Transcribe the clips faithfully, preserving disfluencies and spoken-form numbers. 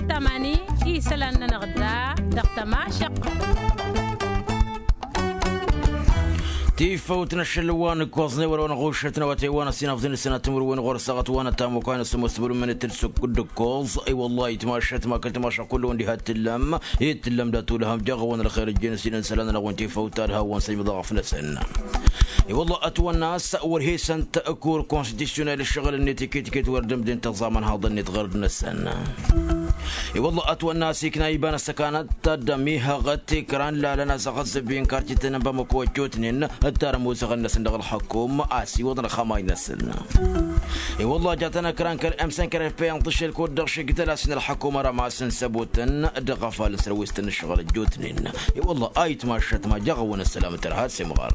Tamani isălan-nănăɣ da dăɣ-tămašăqq. Tifăwt n-ašăl wa n-ǝkkoẓnen wăr-wăn ɣušăt n-awătay wa n-ăsinăfḍen s-sănatăn wăr-wăn ɣur-săɣăt wa n-ătamăkwa n-ăsămoos tămălumăn itǝl s-ǝkk d-ǝkkoẓ. I-wăllah itmašăt ma kăl-timašăq kull-wăn diha t-tǝllăm i-tǝllăm dat-ulhăm jaɣ-wăn ălxer ǝjjen s-inǝn isălan-nănăɣ wi n-tifăwt ta d-hawăn-săjmăḍ aɣăf-năsăn. I-wălla ătwănna a-s wăr he-săn t-kur konstitusyonel ǝššăɣǝl-net iket-iket wăr dd-ǝmdǝn tăẓẓa mănhaḍăn-net ɣărd-năsăn. I-wălla ătwănna a-s ikna iba n-ăssăkanăt ta dd-ămihăɣ tikran lalăn asăɣăzzăb i-n kartităn n-bamăko ăjjootnen d-tarămuzăɣăn-năsăn dăɣ-ălxăkum a-s iwăḍăn ăxamay-năsăn. I-wălla jatăn ăkran kăl-emsăn kăl-efpeyăn tǝššel kud-dăɣ šigdăl a-s n-ălxăkum ărămas n-săbutăn dăɣ-afal n-sărwistăn n-ǝššăɣǝl ăjjootnen. I-wălla a itmašăt ma jaɣ-awăn ăssălam tărha s-imɣar.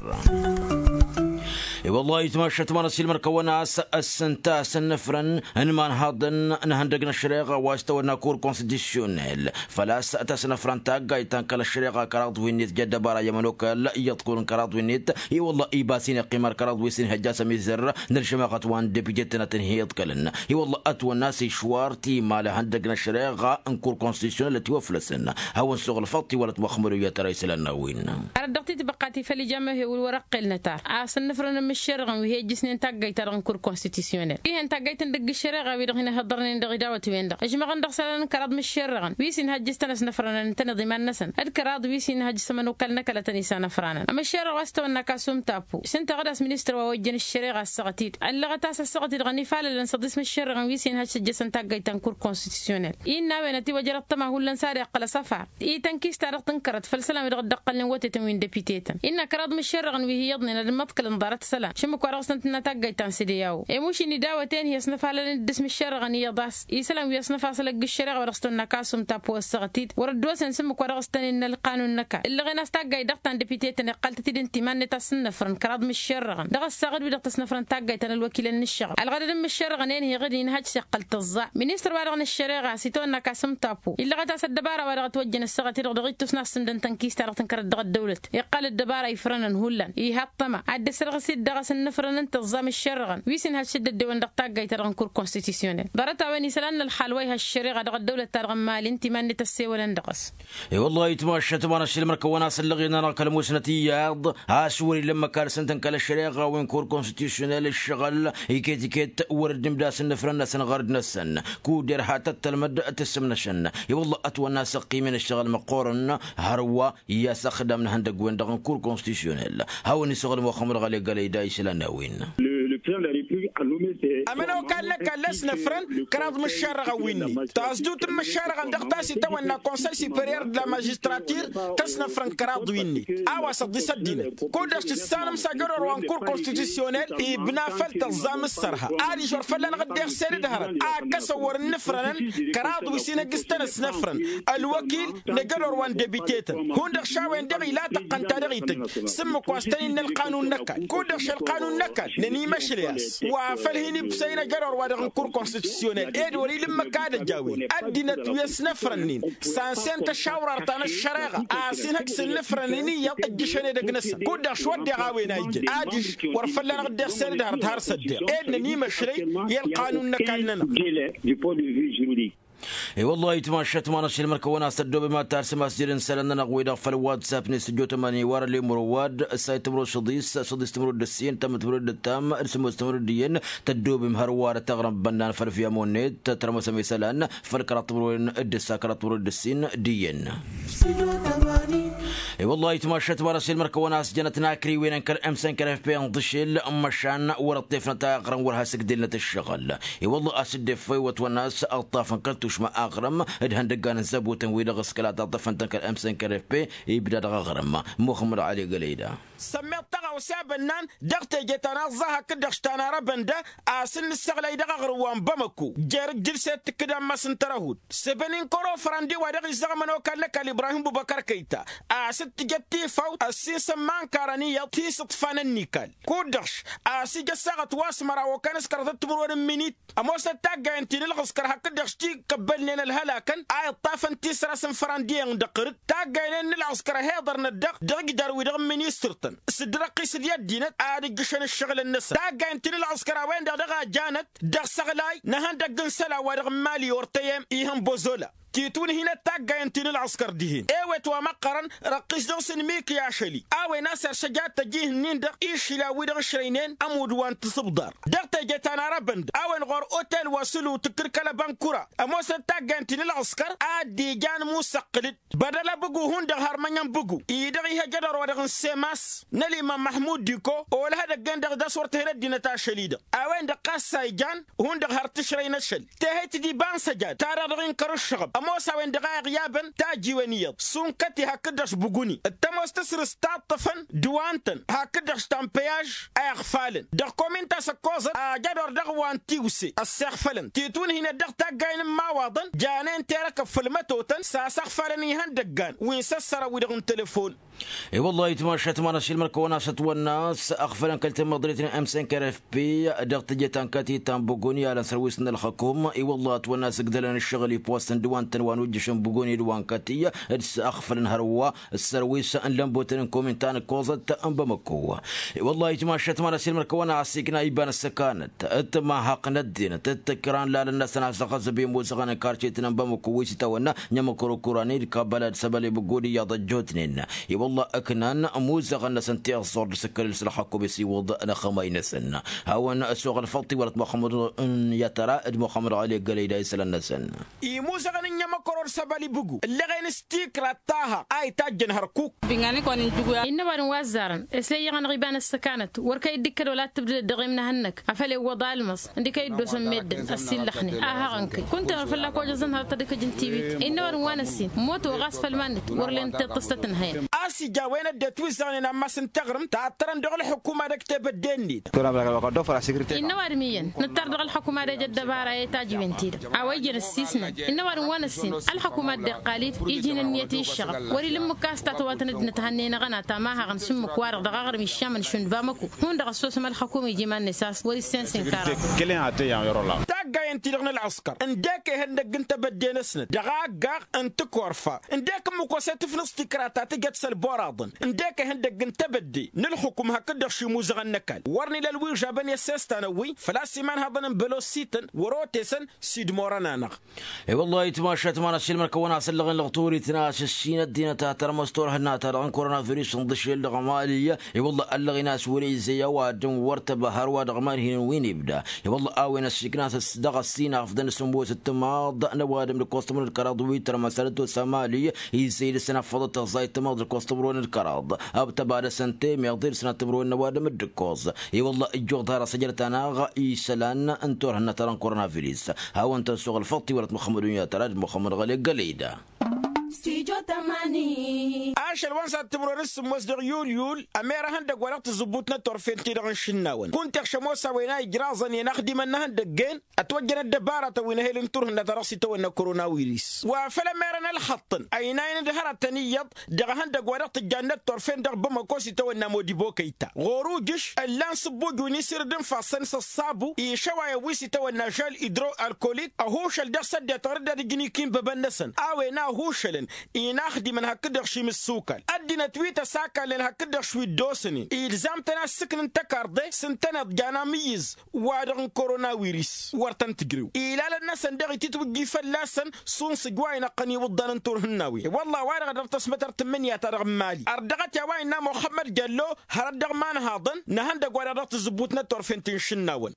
I-wălla itmašăt ma n-ăsilmăr kăwăn-as ăssănta s-ănnăfrăn n-imanhaḍăn n-ihăndăg n-ăššăreɣa wa s-tăwănna kur konstitusyonel făl-a-s tasnăfrăn taggayt ta n-kăl-ăššăreɣa kăraḍ wi-net ja ăddăbara i-ămănokal i-iḍkul n-kăraḍ wi-net. I-wălla iba s-in-iqqim ar kăraḍ wi s-in-ihăjja asămizăr n-ălžămaɣăt wa n-depite-tăn ad-tăn-hi-iḍkălăn. I-wălla ătwănna a-s išwar timal ihăndăg n-ăššăreɣa n-kur konstitusyonel ătiwăflăsăn. Hawăn-suɣǝlfăḍ tiwălăt muxămmăd u-iyyăt ara isălan n-a-wen. Ar ăddăɣ-t-tibăqqa ti făll-ija mehewǝl wăr-ăqqel nătar a-s ǝnnǝfrăn n-imǝššerăɣăn wi he-ǝjjǝsnen taggayt-ta-dăɣ n-kur konstitusyonel. Ih'-en taggayt n-dăgg-ǝššăreɣa-wi-dăɣ hin-ăhhăḍărnen dăɣ-idawăt-wen-dăɣ ǝžmăɣăn dăɣ-isălan n-kăraḍ imǝššerăɣăn wi s-inhăjjǝs-tăn ăsnăfrănăn ǝntăneḍ iman-năsăn d-kăraḍ wi s-inhăjjǝs ămănokal n-ăkall a tăn-isanăfranăn. Ămǝššerăɣ wa s-tăwănna kasu n-tappu s-ǝnta ɣǝd a-s ministăr wa ojjăn ǝššăreɣa ăssaɣăt-dd ăllăɣăt-as ăssaɣăt-dd ɣăn ifalălăn s-ăḍis imǝššerăɣăn wi s-inhăjj s-ǝjjăsăn taggayt ta n-kur konstitusyonel. Innă a-wen ătiwăjrăḍ tăma hullan s-ad-iqqăl asăfar i-tănkist-ta-dăɣ tǝnkărăt făll-isălan wi dăɣ-dd-ăqqălnen wătetăn wi n-depite-tăn. Innă kăraḍ imǝššerăɣăn wi hi-iyyăḍnen ad-ǝmmăḍkălăn ḍarăt isălan šǝmmǝk wa dăɣ-s tăn-tǝnna taggayt ta n-sădeyawo. I-mušǝn idawăt-en hi-ăsnăfalălăn dd-asmǝššerăɣăn iyyăḍ a-s isălan wi ăsnăfasăl ăgg-ǝššăreɣa wa dăɣ-s tăwănna kasu n-tappu ăssaɣăt-dd wăr-ăddoosăn šǝmmǝk wa dăɣ-s tăn-innă ălqanun n-ăkall. Ǝllăɣen a-s taggayt dăɣ-ta n-depite-tăn iqqal-tăt-dd ǝnta iman-net a-s ǝnnăfrăn kăraḍ imǝššerăɣăn dăɣ-ăssaɣ d-wi-dăɣ tăsnăfrăn taggayt ta n-ălwăkilăn n-ǝššăɣǝl ălɣădăd n-imǝššerăɣăn-en hi-iɣǝd inhăj s-iqqăl tăẓẓa. Ministăr-wa-dăɣ n-ăššăreɣa s-itawănna kasu n-tappu illăɣăt a-s ăddăbara-wa-dăɣ ătwăjjăn ăssaɣăt-dd dăɣ-ittus n-assǝndăn tănkist-ta-dăɣ tǝnkărăt dăɣ-ăddăwlăt iqqal ăddăbara ifrănăn hullan iha ăṭṭăma ad-dd-ăsrăɣǝs-dd dăɣ-s ǝnnǝfrănăn tăẓẓa imǝššerăɣăn wi s-inhăj s-dd-ăddewăn dăɣ-taggayt-ta-dăɣ n-kur konstitusyonel. Ḍarăt-a-wen isălan n-ălxal wa iha ăššăreɣa dăɣ-ăddăwlăt-ta-dăɣ n-imali ǝnta iman-net ăssewălăn dăɣ-s. I-wăllah itmašăt ma n-ašilmăr kăwăn-asăn ǝlleɣ-in-anăɣ kăl-musnăt iyyăḍ a-s wăr-illa ǝmmǝk ad-săn-tăn kăl-ăššăreɣa wi n-kur konstitusyonel ǝššăɣǝl iket-iket wăr-dd-imdasăn n-afrăn-năsăn ɣărd-năsăn. Kud-erha tăt-tălmăd tǝssǝmnăšăn. I-wăllah ătwănna a-s ăqqimăn ǝššăɣǝl măqqoorăn hărwa i-asăxdam n-ihăndăgg-wen-dăɣ n-kur konstitusyonel. Hawăn-isăɣǝl muxămmăd ɣăle gălăyda isălan n-a-wen. Ămănokal n-ăkall a-s năfrăn kăraḍ imǝššarrăɣăn wi-net taẓdut n-imǝššarrăɣăn dăɣ-ta s-itawănna konsăy siperyăr d-la mažistratir. Tăsnăfrăn kăraḍ wi-net a-wa s-ăḍḍis ăddinăt kud-dăɣ s-tǝssanăm s-ajăr orwa n-kur konstitusyonel ibna făll-tăẓẓa mǝssărha. Adiš wăr fălla-năɣ dd-iɣsed d-hărăt a ǝkkăsăn wăr-ǝnnǝfrănăn kăraḍ wi s-inăjjǝs-tăn ăsnăfrăn ălwăkil n-ajăr orwa n-debite-tăn hundăɣ šawăyăn-dăɣ ila tăqqăn ta dăɣ-ităjj s-ǝmmǝk wa s-tăn-innă ălqanun n-ăkall kud-dăɣ šălqanun n-ăkall nănimăšlăy a-s wa făl hin-ibsăyăn ajăr orwa dăɣ-n kur konstitusyonel ed wăr-ila ǝmmǝk ad-ăj a-wen ăddinăt wi ăsnăfrănnen s-ansen tăšawrar ta n-ăššăreɣa a-s inhăj s-ǝnnǝfrănăn iyyăḍ ǝjjǝšăn edăgg-năsăn kud-dăɣ šwăddeɣ a-wen a ijăn adiš wăr fălla-năɣ dd-iɣsed d-hărăt har-săddeɣ ed nănimăšlăy i-ălqanun n-ăkall-nănăɣ. I-wăllah itmašăt ma n-ašăl măr-kăwăn-as tăddoobem ad-tarsǝm asjăd n-isălan-nănăɣ-wi-dăɣ făll-whatsapp-net s-ăjjootăm ăniwar ăllemăr ăwadǝm s-ayǝt timǝrwen šăḍis šăḍis timǝrwen d-ǝssin tămăt timǝrwen d-ǝttam d-sǝmmos timǝrwen d-iyyăn. Tăddoobem hărwa ad-taɣrǝm bănnan făll-fiyam-net tătrămăsăm isălan făll-kăraḍ timǝrwen d-ǝssa kăraḍ timǝrwen d-ǝssin d-iyyăn. I-wăllah itmašăt ma n-ašăl măr-kăwăn-as jănăt n-akriwen n-kăl-emsen kăl-efpe n-tǝšel măšan wăr-ăṭṭefnăt aɣrǝm wăr has-ǝgdǝlnăt ǝššăɣǝl. I-wălla a-s dd-effe wăt-wănna a-s ălṭṭafăn kăl-tušma aɣrǝm d-ihăndăggan n-zăbutăn-wi-dăɣ s-kăla taḍăfăn-tăn kăl-emsen kăl-effe. Ibda dăɣ-aɣrǝm muxămmăd ăli gălăyda. Sămmeḍ tăɣawse a bănnan dăɣ-teje ta n-aẓẓa hakd-dăɣ s-tanarăbăn da a-s n-nǝssăɣlăy dăɣ-aɣrǝm wa n-bamăko jer-ǝjjǝlset tǝkkǝd ammas n-tărăhut s-ebăni n-kăro fărăndi wa dăɣ-izzăɣ ămănokal n-ăkall ibrahim bubăkăr kăyta. A-s dd-tǝjăt tifawt ăssinsăn ma ănkarăn iyyăḍ ti-sǝḍfanăn n-ikal kud-dăɣ a-s ija ăssaɣăt wa s-măraw okănes kărăḍăt timǝrwen n-minit. Ămoosăt taggayen ti n-ǝlɣǝskăr hakd-dăɣ s-ti kăbbălnen ălhălakăn a iṭṭafăn tisras n-fărăndi-en dăɣ-tărǝt taggayen-en n-ǝlɣǝskăr ăhiḍărnăt-dăɣ dăɣ-ijdar-wi-dăɣ n-ministăr-tăn s-dd-răqqisăd i-ăddinăt ad-ǝjjǝšăn ǝššăɣǝlăn-năsăn taggayen ti n-ǝlɣǝskăr a-wen-dăɣ dăɣ-a janăt dăɣ-isăɣlay n-ihăndăgg n-isălan wa dăɣ-n mali ortăyem ihăn bozola. titwǝnhinăt taggayen ti n-ălɣǝskăr dihen ewet wa măqqărăn răqqis dăɣ-s n-miki ašăli a-wen a-s ersăjat tăjih-nin-dăɣ išila-wi-dăɣ ǝšrăynen ămudd wa n-tisǝbḍar dăɣ-teje ta n-arăbăn-dăɣ a-wen ɣur-otel wa sǝlu tǝkkǝlkăl ăbănkura. Ămoosnăt taggayen ti n-ălɣǝskăr a dd-ijan musăqqǝl-dd bădăl abǝgu hundăɣ har mănyăn bǝgu-i-dăɣ ih' ejădor wa dăɣ-n semas n-ălimam măhmud diko olăh edăgg-en-dăɣ d-a-s wăr tǝhǝn ăddinăt ašăl-i-dăɣ. A-wen-dăɣ ɣas a ijan hundăɣ har tǝšrăy n-ašăl tehăyt d-iba n-săjad ta-dăɣ dăɣ-inkăr ǝššăɣăb ămoos a-wen-dăɣ a iɣyabăn tajiwen iyyăḍ sunkăt-i hakd-dăɣ s-buguni d-tămoos tǝsrǝst ta ǝṭṭăfăn d-wa ǝntăn hakd-dăɣ s-tampeyaž a iɣfalăn dăɣ-komin ta s-ăkkoẓăt ajădor dăɣ-wa n-tiwse ăssiɣfălăn titwǝnhinăt dăɣ-taggayen n-imawaḍăn janen terăkăb făll-mătotăn s-asăɣfalăn ihăndăggan wi n-săssărăn-wi-dăɣ n-telefon. I-wăllah itmašat ma n-asilmăr kăwăn-asăt wănnas ăɣfălăn kăl-temăḍrit n-emsenker f p dăɣ-teje ta n-kătit ta n-buguni alăn sărwis n-ălxăkum i-wăllah ătwănnas ǝgdălăn ǝššăɣǝl i-post n-dăwantăn wa n-ujjǝš n-buguni d-wa n-kăti d-s ăɣfălăn hărwa ăssărwis n-lănbotăn n-komin ta n-ăkkoẓăt n-bamăko. I-wăllah itmašat ma n-asilmăr kăwăn-as ikna iba n-ăssăkanăt d-tămahăq n-ăddinăt d-tǝkran lalăn-năsăn asăɣăzăb i-muzăɣăn n-karcetăn n-bamăko wi s-itawănna n-emăkrokura n-idkabălad săbăl i-buguni iyyăḍ ăjjootnen. I-wălla ǝknan muzăɣăn-năsăn tiẓẓur d-sǝkkălǝl s-ălxăkum isiwǝḍ n-axămay-năsăn. Hawăn-ăsoɣ ălfăḍt iwălăt muxămmăd n-yatăra d-muxămmăd ɣali ăggălăy da isălan-năsăn. Imuzăɣăn n-inyămăkăro d-săbăl ibǝgu ǝllăɣen s-tikra d-tahăɣ a itajjăn hărkuk. Innă ăwadǝm wa ăzzarăn s-e iyyăɣ-anăɣ iba n-ăssăkanăt wăr kăy-dd-ikkăd wăla t-tǝbdǝdăd dăɣ-imnăhănnăk. Afăl iwwăḍ almăẓ ǝndǝk a iddosăn meddǝn ăssiillăxnen a hăɣăn-kăy kunta-năɣ fălla-k ojăẓăn hărăt ad-ǝkǝj n-tiwit. Innă ăwadǝm wa n-ăssin moto ɣas făll-iman-net wăr len tiṭṭǝstăt n-hăyăn. A-s ija a-wen ăddinăt wi ǝzzăɣnen ammas n-taɣrǝmt ta ăttărăn dăɣ-ălxukuma dăgg-tebădde-net. Innă ăwadǝm iyyăn nǝttar dăɣ-ălxukuma d-ejă ăddăbara i-tajiwen-ti-dăɣ a-wa ijăn ăssiisnăn. Innă ăwadǝm wa n-ăssin ălxăkuma dd-iqqal-dd iji n-ǝnniyăt i-ǝššăɣăb wăr-ila ǝmmǝk a-s tatwatăn ăddinăt hannăyăn aɣăna ta ma haɣăn s-ǝmmǝk-wa-dăɣ dăɣ-aɣrǝm iššamăn šund bamăko. Hundăɣ ăssosăm ălxăkum iji iman-net a-s wăr-issensen karaḍ. Taggayen-ti-dăɣ n-ălɣǝskăr ǝndek ehăndăgg n-tebădde-năsnăt dăɣ-aggaɣ n-tǝkorfa ǝndek ǝmmǝk osăt ǝfnǝẓ tikra ta tǝjăt s-ălboraḍăn ǝndek ehăndăgg n-tebădde n-ǝlxǝkum hakd-dăɣ šimuzăɣăn n-ăkall wăr n-ila ălwižabăn i-ăssestan-ăwwi făl-a-s iman haḍăn n-bălosităn wăr-otesăn. S-idmorăn-anăɣ. I-wăllah itmašat ma n-asilmăr kăwăn-asăllăɣen lăɣturit n-asǝssin ăddinăt a tărmăs turhǝnna-ta-dăɣ n-koronavirus n-dăšel dăɣ-mali. I-wăllah ăllăɣen a-s wăr-izăy ăwadǝm wăr tăbăhăr wa dăɣ-iman hin-wi n-ibda. I-wăllah a-wen ăssiikna-t dăɣ-ăssin afḍăn s-ămoos d-timaḍ n-ăwadǝm d-ǝkkoẓ timǝrwen d-kăraḍ wi tărmăsăr d-tosa mali. Izăy dăɣ-săn afăḍăt tăẓẓayt timaḍ d-ǝkkoẓ timǝrwen d-kăraḍ ăbtăba dăɣ-săn temeḍ i-dăɣ-săn ad-timǝrwen n-ăwadǝm d-ǝkkoẓ. I-wălla ǝjjoḍ har ăsăjrăt-anăɣ isălan n-turhǝnna-ta-dăɣ n-koronavirus. Hawăn-tăn-suɣ ălfăḍt iwălăt muxămmăd unyatăra d-muxămmăd ɣăli ăggălăy da. Ašăl wa n-săr timǝrwen s-sǝmmos dăɣ-yulyul ămer ehăndăgg wa dăɣ-tǝzzǝbbut n-ătorfen-ti-dăɣ n-išǝnnawăn kunta ăkšămoos a-wen a ijraẓăn i-inaxdimăn n-ehăndăgg-en. Ătwăjjăn ăddăbaratăn wi n-ehel n-turhǝnna ta dăɣ-s itawănna koronavirus wa făl ămerăn ălxăṭṭăn ăynayăn d-hărătăn iyyăḍ dăɣ-ehăndăgg wa dăɣ-tǝjjan n-ătorfen dăɣ-bamăko s-itawănna modibo kăyta ɣur-ujǝš ǝllan sǝbbuj wi n-isǝrǝd n-ifassăn s-ăṣṣabu išăwayăn wi s-itawănna žel idro-alkolik ăhušăl dăɣ-săddetăɣ d-ad-ǝjǝn ikinbăbăn-năsăn a-wen a ăhušălăn inaxdimăn hakd-dăɣ šim ǝssukal ăddinăt wi tăsakalnen hakd-dăɣ šwi dd-osănen ilzam-tăn a ǝssǝknǝn tăkarḍe s-ǝntăneḍ jan amǝyyǝz wa-dăɣ n-koronawiris wăr tăn-tǝjrew ilalăn-năsăn daɣ ititwǝjji fălla-săn. Šund s-ǝjwayăn ăqqăn iwǝḍḍan n-turhǝnnawen i-wălla a-wa-dăɣ dăr-tăsmătărt n-imǝnǝya-ta-dăɣ n-mali ărdăɣăt i-a-wa innă muxămmăd jello hărăt dăɣ-imanhaḍăn n-ehăndăgg wa-dăɣ dăɣ-tǝzzǝbbut n-ătorfen ti n-išǝnnawăn.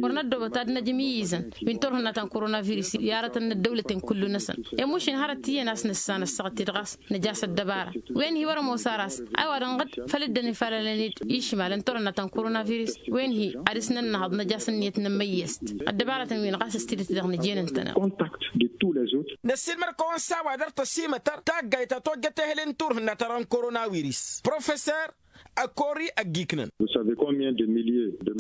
Wăr năddoobăt ad-năj imǝyyǝzăn wi n-turhǝnna ta n-koronavirus i-arătăn n-ăddăwlăten kullu-năsăn i-mušin hărăt iyyăn a-s nǝssan ăssaɣăt-dd ɣas nǝj'-as ăddăbara. Wen-hi wăr-ămoos ar a-s a-wa dăɣ-năɣ-dd făl dd-ănifalălăn-dd išmalăn turhǝnna ta n-koronavirus wen-hi ad-dăr-s nănnăhăḍ năj'-as ǝnniyăt n-emăyyăst. Ăddăbaratăn-wi-năɣ a-s ăstidăt dăɣ-nǝj'-en ǝntăneḍ. Năssiilmăr-kăwăn s-a-wa dăr-tăsimătăr taggayt ta tojjăt ehăl n-turhǝnna ta dăɣ-koronavirus professer ăkori ăggiknăn.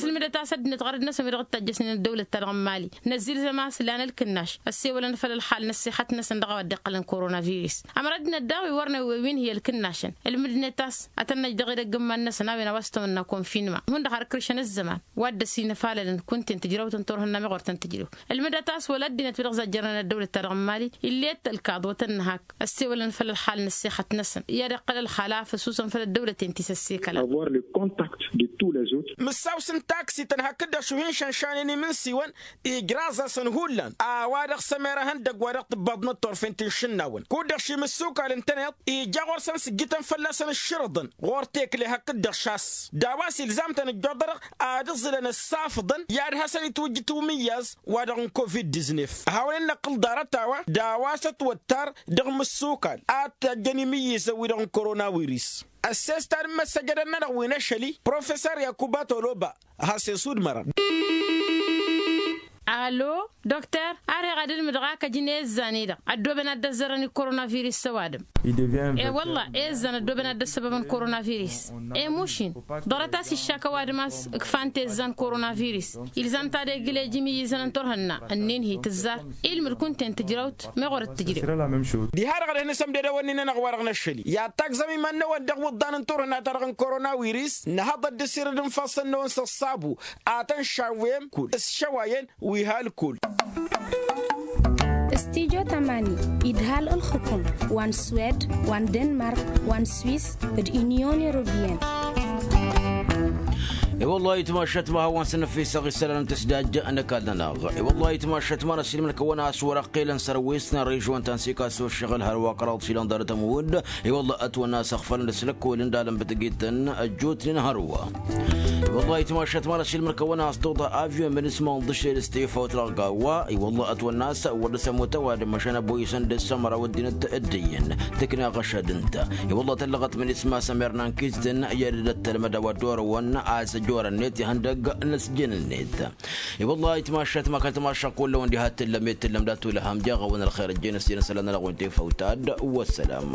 Sǝlmǝdăt a-s ăddinăt ɣărăt-năsăn wi dăɣ-dd-tajjăsnen ăddăwlăt-ta-dăɣ n-mali năzzilzăm a-s lan ǝlkǝnnaš ăssewălăn făll-ălxal n-ăssixăt-năsăn dăɣ-a-wa dd-iqqălăn koronavirus. Ămăr ăddinăt daɣ wi wăr năwwewin hi-ălkǝnnašăn ǝlmǝdnet a-s ad-tăn-năj dăɣ-edăgg n-iman-năsăn a-wen a-wa s-tăwănna konfinma hundăɣ har kǝršăn ăzzăman. Wa dd-ăsinăfalălăn kunta-en tǝjrăwt n-turhǝnna meɣ wăr tăn-tǝjrew. Ǝlmǝdăt a-s wăla ăddinăt wi dăɣ-zajjărnen ăddăwlăt-ta-dăɣ n-mali ill'-e dd-tălkaḍ wa tăn-nǝhak ăssewălăn făll-ălxal n-ăssixăt-năsăn i-ad-iqqăl ălxal a făsusăn făll-ăddăwlăten ti s-ăss. s-ikăla. Avoir le contact de tous les autres. Mǝssaw s-ǝnta aksităn hakd-dăɣ šuhi n-išănšanen imǝnsiwăn ijraẓ-asăn hullan a-wa-dăɣ s-emer ihăndăgg wa dăɣ-tǝbbaḍnăt turfen ti n-išǝnnawăn kud-dăɣ šimǝssukal ǝntăneḍ ija ɣur-săn sǝjjǝtăn fălla-săn ǝššǝrǝḍăn ɣur-tekle hakd-dăɣ šas d-a-wa s-ilzam-tăn ǝjjuḍărăɣ ad-ǝẓǝlăn ǝssafǝḍăn i-ad-hasăn-itwǝjjǝt umǝyyaz wa-dăɣ n-covid-diznef. Hawăn-in-năqqǝl ḍarăt-a-wa d-a-wa s-ătwăttar dăɣ-imǝssukal ad-t-ăjjăn imǝyyǝzăn-wi-dăɣ n-korona wiris. Ăsses ta n-imăssăjădăn-nănăɣ wi n-ašăl-i profesor yakuba toloba. Has-e-sudmărăn. Alo dokter, ar heɣ ad-ǝlmǝdăɣ a kăjăn i-izzan-i-dăɣ ăddooben ad-dd-ăzzărăn i-koronavirus s-ăwadǝm. E-wălla i-izzan ăddooben ad-dd-ăssăbăbăn koronavirus. Emuš-in ḍarăt a-s iššak ăwadǝm a-s ǝkfan-t i-izzan koronavirus. Ilzam-t ad-egǝl ejǝm i-izănăn turhǝnna ǝnnin hi-tǝzzar. Ilmǝd kunta-en tǝjrăwt meɣ wăr-dd-tǝjrew. Diha-dăɣ ad-ăhnăsăm d-edăwănnin-nănăɣ wa-dăɣ n-ašăl-i i-ad-tagzăm iman-năwăn dăɣ-iwǝḍḍan n-turhǝnna-ta-dăɣ n-koronawiris. Nǝhăḍăt d-asirǝd n-ifassăn-năwăn s-ăṣṣabu ad-tăn-šawwem kull s-išăwayen wi ha ălkull. Studyo tamani idhal ǝlxǝkum wa n-swed wa n-denmark wa n-swis d-unyon europeyăn. I-wăllah ayǝtmašat ma hawăn-săn ăfisăɣ isălan n-tǝsdajja n-ăkall-nănăɣ. I-wăllah ayǝtmašat ma n-ăsilmăn kăwăn-as wăr-ăqqilăn sărwis n-ărižwăn ta n-sikaso ăššăɣǝl hărwa kăraḍ išilan ḍarăt ămudd. I-wăllah ătwănna a-s ăɣfălăn d-asǝlăkkol n-dalăn bǝtǝgităn ăjjootnen hărwa. I-wăllah ayǝtmašat ma n-ăsilmăn kăwăn-as toḍa avyon mănǝsma n-ḍǝšel s-tifawt dăɣ-gawa. I-wăllah ătwănna a-s wăr dăr-s ămut ăwadǝm măšan ăboyǝsăn d-asămăraw ăddinăt dd-iyyăn tǝkna ɣăšad ǝnta. I-wăllah tăllăɣăt mănǝsma s-ămerna n-kizǝtăn i-ad-dd-ăttălmăd a-wa dd-orăwăn a-s ăjorăn-net ihăndăgg n-ăsjǝn-net. I-wăllah ayǝtmašat ma kăl-tamašăɣ kull-wăn diha t-tǝllăm i-tǝllăm dat-ulham jeɣ-awăn ălxer ăjjeen ăssinăsălan-nănăɣ wi n-tefăwt ad-wăssălam.